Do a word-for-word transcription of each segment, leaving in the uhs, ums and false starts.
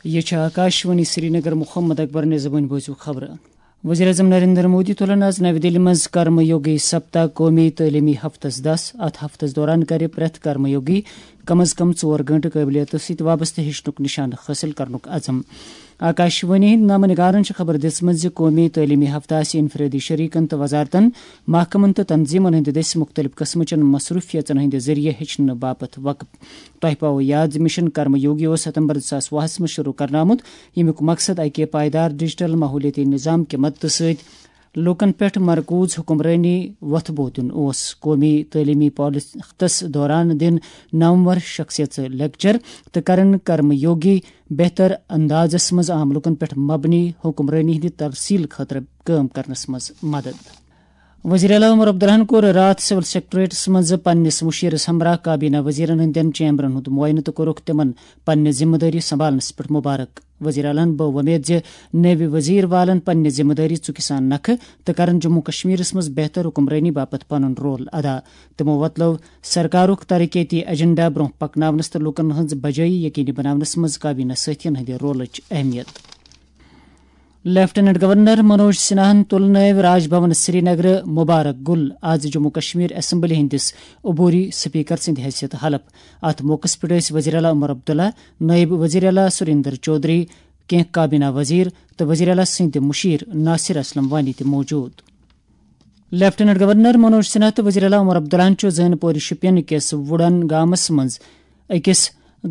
یہ چھِ آکاش وانی سرینگر۔ محمد اکبر نِظامٕنۍ بوٗزِو خبرٕ۔ وزیر اعظم نریندر مودی تُلن آز نَوِ دِلہِ منٛز کرم یوگی سپتا قومی تعلیمی ہفتس دس۔ اتھ ہفتس دوران کرِ پرٛٮ۪تھ کرم یوگی کم از کم ژور گٲنٛٹہٕ قٲبلیتس سۭتۍ وابستہٕ ہیٚچھنُک نشانہٕ حٲصِل کرنُک عزم۔ آکاش وانی ہٕنٛدۍ نامہ نگارن چھِ خبر دِژمٕژ زِ قومی تعلیمی ہفتہٕ آسہِ انفرادی شریکن تہٕ وزارتن، محکمن تہٕ تنظیمن ہٕنٛدِ دٔسۍ مُختٔلِف قٕسمٕچن مصروٗفیژن ہٕنٛدِ ذٔریعہٕ ہیٚچھنہٕ باپتھ وقف۔ تۄہہِ پاوو یاد زِ مشن کرم یوگی اوس ستمبر زٕ ساس وُہس منٛز شروع کرنہٕ آمُت، ییٚمیُک مقصد اکہِ پائیدار ڈیجیٹل ماحولیٲتی نظام کہِ مدتہٕ سۭتۍ لوٗکن پٮ۪ٹھ مرکوز حکمرٲنی وۄتھٕ بوٚو دیُن اوس۔ قومی تعلیمی پالیسی ہفتس دوران دِن نامور شخصیژٕ لیکچر تہٕ کرن کرم یوگی بہتر اندازس منٛز عام لوٗکن پٮ۪ٹھ مبنی حکمرٲنی ہٕنٛدِ ترسیل خٲطرٕ کٲم کرنس منٛز مدد۔ وزیر اعلیٰ عمر عبداللہن کوٚر راتھ سول سیکرٹریٹس منٛز پننِس مُشیرس ہمراہ کابینہ وزیرن ہٕنٛدٮ۪ن چیمبرن ہُنٛد معائنہٕ تہٕ کوٚرُکھ تِمن پننہِ ذمہٕ دٲری سنبھالنس پٮ۪ٹھ مبارک۔ وزیر اعلیٰ ہن بٲو وۄمید زِ نٔوۍ وزیر والن پننہِ ذمہٕ دٲری ژُکہِ سان نکھٕ تہٕ کرن جموں کشمیرس منٛز بہتر حکمرٲنی باپتھ پنُن رول ادا۔ تِمو وۄتلٲو سرکارُک ترقیتی ایجنڈا برونٛہہ پکناونس تہٕ لوٗکن ہٕنٛز بجٲیی یقینی بناونس منٛز کابینہ سٲتھین ہٕنٛدِ رولٕچ اہمیت۔ لیفٹیننٹ گورنر منوج سنہاہن تُل نٲوۍ راج بھون سرینگرٕ مبارک گُل آز جموں کشمیر اسمبلی ہٕنٛدِس عبوری سپیکر سٕنٛدِ حیثیت حلف۔ اتھ موقعس پٮ۪ٹھ ٲسۍ وزیر اعلیٰ عمر عبداللہ، نٲیِب وزیر اعلیٰ سریندر چودھری، کینٛہہ کابینہ وزیر تہٕ وزیر اعلیٰ سٕنٛدِ مُشیر ناصر اسلم وانی تہِ موجود۔ لیفٹیننٹ گورنر منوج سنہا تہٕ وزیر اعلیٰ عمر عبداللہن چھُ زین پوری شوپین کِس وُڈن گامس منٛز أکِس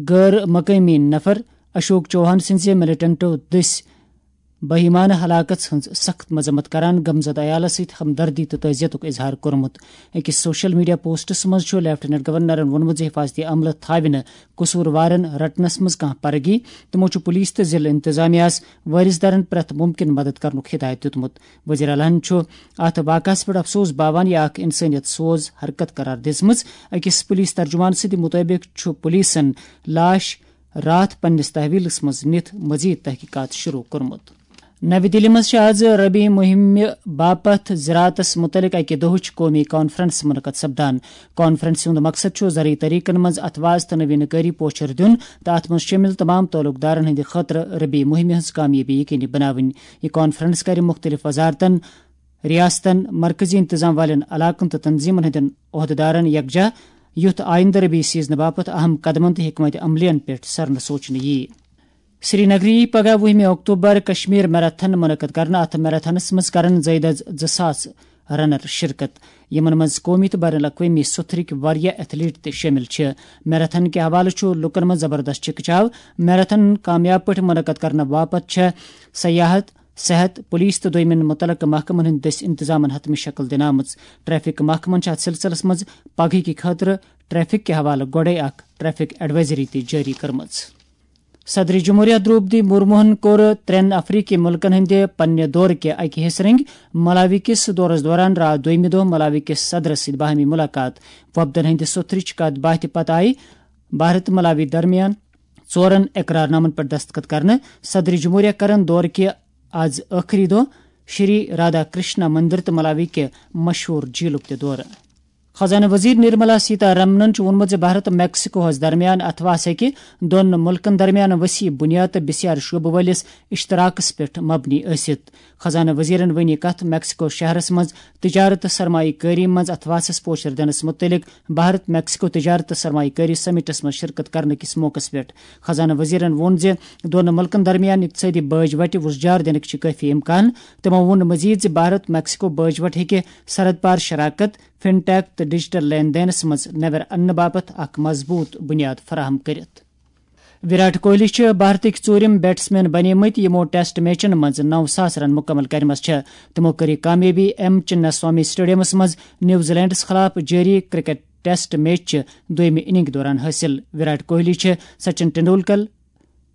غٲر مقٲمی نفر اشوک چوہان سٕنٛزِ ملیٹنٹو دٔسۍ بہیمانہٕ ہلاکت ہٕنٛز سخت مذمت کران غمزدٕ عیالس سۭتۍ ہمدردی تہٕ تعزیتُک اظہار کوٚرمُت۔ أکِس سوشل میڈیا پوسٹس منٛز چھُ لیفٹیننٹ گورنرن ووٚنمُت زِ حفاظتی عملہٕ تھاوِ نہٕ قصوٗروارن رٹنس منٛز کانٛہہ پرگی۔ تِمو چھُ پُلیٖس تہٕ ضلعہٕ انتظامیہس وٲرِث دارن پرٛٮ۪تھ مُمکِن مدد کرنُک ہدایت دیُتمُت۔ وزیر اعلیٰ ہن چھُ اتھ واقعس پٮ۪ٹھ افسوس باوان یہِ اکھ انسٲنیت سوز حرکت قرار دِژمٕژ۔ أکِس پُلیٖس ترجمان سٕنٛدِ مُطٲبِق چھُ پُلیٖسن لاش راتھ پننِس تحویلس منٛز نِتھ مزید تحقیقات شروع کوٚرمُت۔ نَوِ دِلہِ منٛز چھِ آز ربی مُہِمہِ باپتھ زراعتس مُتعلق اَکہِ دۄہٕچ قومی کانفرنس منعقد سپدان۔ کانفرنسہِ ہُنٛد مقصد چھُ زرعی طریقن منٛز اتھواز تہٕ نوینہٕ کٲری پوچھر دیُن تہٕ اتھ منٛز شٲمِل تمام تعلق دارن ہٕنٛدِ خٲطرٕ ربی مُہِمہِ ہٕنٛز کامیٲبی یقینی بناوٕنۍ۔ یہِ کانفرنس کرِ مُختٔلِف وزارتن، ریاستن، مرکزی انتظام والٮ۪ن علاقن تہٕ تنظیمن ہٕنٛدٮ۪ن عہدٕدارن یکجاہ، یُتھ آیندٕ ربی سیزنہٕ باپتھ اہم قدمن تہٕ حکمت عملین پٮ۪ٹھ سرنہٕ سوچنہٕ یِیہِ۔ سرینگرٕ یِیہِ پگاہ وُہمہِ اکتوبر کشمیر میراتھن منعقد کرنہٕ۔ اتھ میراتھنس منٛز کرن زٲیِد از زٕ ساس رنر شرکت، یِمن منٛز قومی تہٕ بین الاقوٲمی سُتھرٕکۍ واریاہ ایتھلیٹ تہِ شٲمِل چھِ۔ میراتھن کہِ حوالہٕ چھُ لوٗکن منٛز زبردست چکچاو۔ میراتھن کامیاب پٲٹھۍ منعقد کرنہٕ باپتھ چھےٚ سیاحت، صحت، پولیس تہٕ دوٚیمٮ۪ن مُتعلقہٕ محکمن ہٕنٛدۍ دٔسۍ انتظامن حتمی شکل دِنہٕ آمٕژ۔ ٹریفک محکمن چھِ اتھ سلسلس منٛز پگہٕکہِ خٲطرٕ ٹریفک کہِ حوالہٕ گۄڈَے اکھ ٹریفک ایڈوائزری تہِ جٲری کٔرمٕژ۔ صدر جمہوریہ درٛوپدی مرموہن کوٚر ترٛٮ۪ن افریقی مُلکن ہٕنٛدِ پننہِ دورٕ کہِ اکہِ حصہٕ رنگۍ۔ ملاوی کِس دورس دوران راتھ دوٚیمہِ دۄہ ملاوی کِس صدرس سۭتۍ باہمی مُلاقات۔ وفدن ہٕنٛدِ سوٚتھرٕچ کتھ باتھِ پتہٕ آیہِ بھارت ملاوی درمیان ژورن اقرار نامن پٮ۪ٹھ دستخط کرنہٕ۔ صدر جمہوریہ کرن دورٕ کہِ آز ٲخری دۄہ شری رادھا کرشنا مندر تہٕ ملاوی کہِ مشہوٗر جھیلُک تہِ دورٕ۔ خزانہٕ وزیر نرملا سیتا رمنن چھُ ووٚنمُت زِ بھارت میکسیکوہَس درمیان اتھواس ہیٚکہِ دۄن مُلکَن درمیان وسیع بُنیاد تہٕ بسیار شعبہٕ وٲلِس اشتراکس پٮ۪ٹھ مبنی ٲسِتھ۔ خزانہٕ وزیرن ؤنۍ یہِ کتھ میکسیکو شہرَس منٛز تجارت تہٕ سرمایہ کٲری منٛز اتھواسَس پوچھر دِنَس مُتعلق بھارت میکسیکو تجارت تہٕ سرمایہ کٲری سمٹس منٛز شرکت کرنہٕ کِس موقعس پٮ۪ٹھ۔ خزانہٕ وزیرن ووٚن زِ دۄن مُلکَن درمیان اقتصٲدی بٲج وٹہِ وُژجار دِنٕکۍ چھِ کٲفی امکان۔ تِمَو ووٚن مزید زِ بھارت میکسیکو بٲج وٹ ہیٚکہِ سرحد پار شراکت، فن ٹیک تہٕ ڈیجیٹل لین دینس منٛز نٮ۪بر اننہٕ باپتھ اکھ مضبوٗط بُنیاد فراہم کٔرِتھ۔ وراٹ کوہلی چھِ بھارتٕکۍ ژوٗرِم بیٹسمین بنیمٕتۍ، یِمو ٹیسٹ میچن منٛز نَو ساس رن مُکمل کٔرمٕژ چھِ۔ تِمو کٔر یہِ کامیٲبی ایم چننا سوامی سٹیڈیمس منٛز نیوزی لینڈس خلاف جٲری کرکٹ ٹیسٹ میچ چہِ دوٚیمہِ اننگ دوران حٲصِل۔ وراٹ کوہلی چھِ سچن ٹنڈولکر،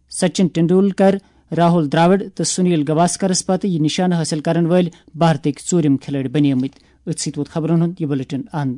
سچن ٹنڈولکر، راہول دراوڑ تہٕ سنیل گواسکرس پتہٕ یہِ نشانہٕ حٲصِل کرن وٲلۍ بھارتٕکۍ ژوٗرِم کھلٲڑۍ بنیمٕتۍ۔ أتھۍ سۭتۍ ووت خبرن ہُنٛد یہِ بلیٹن اند۔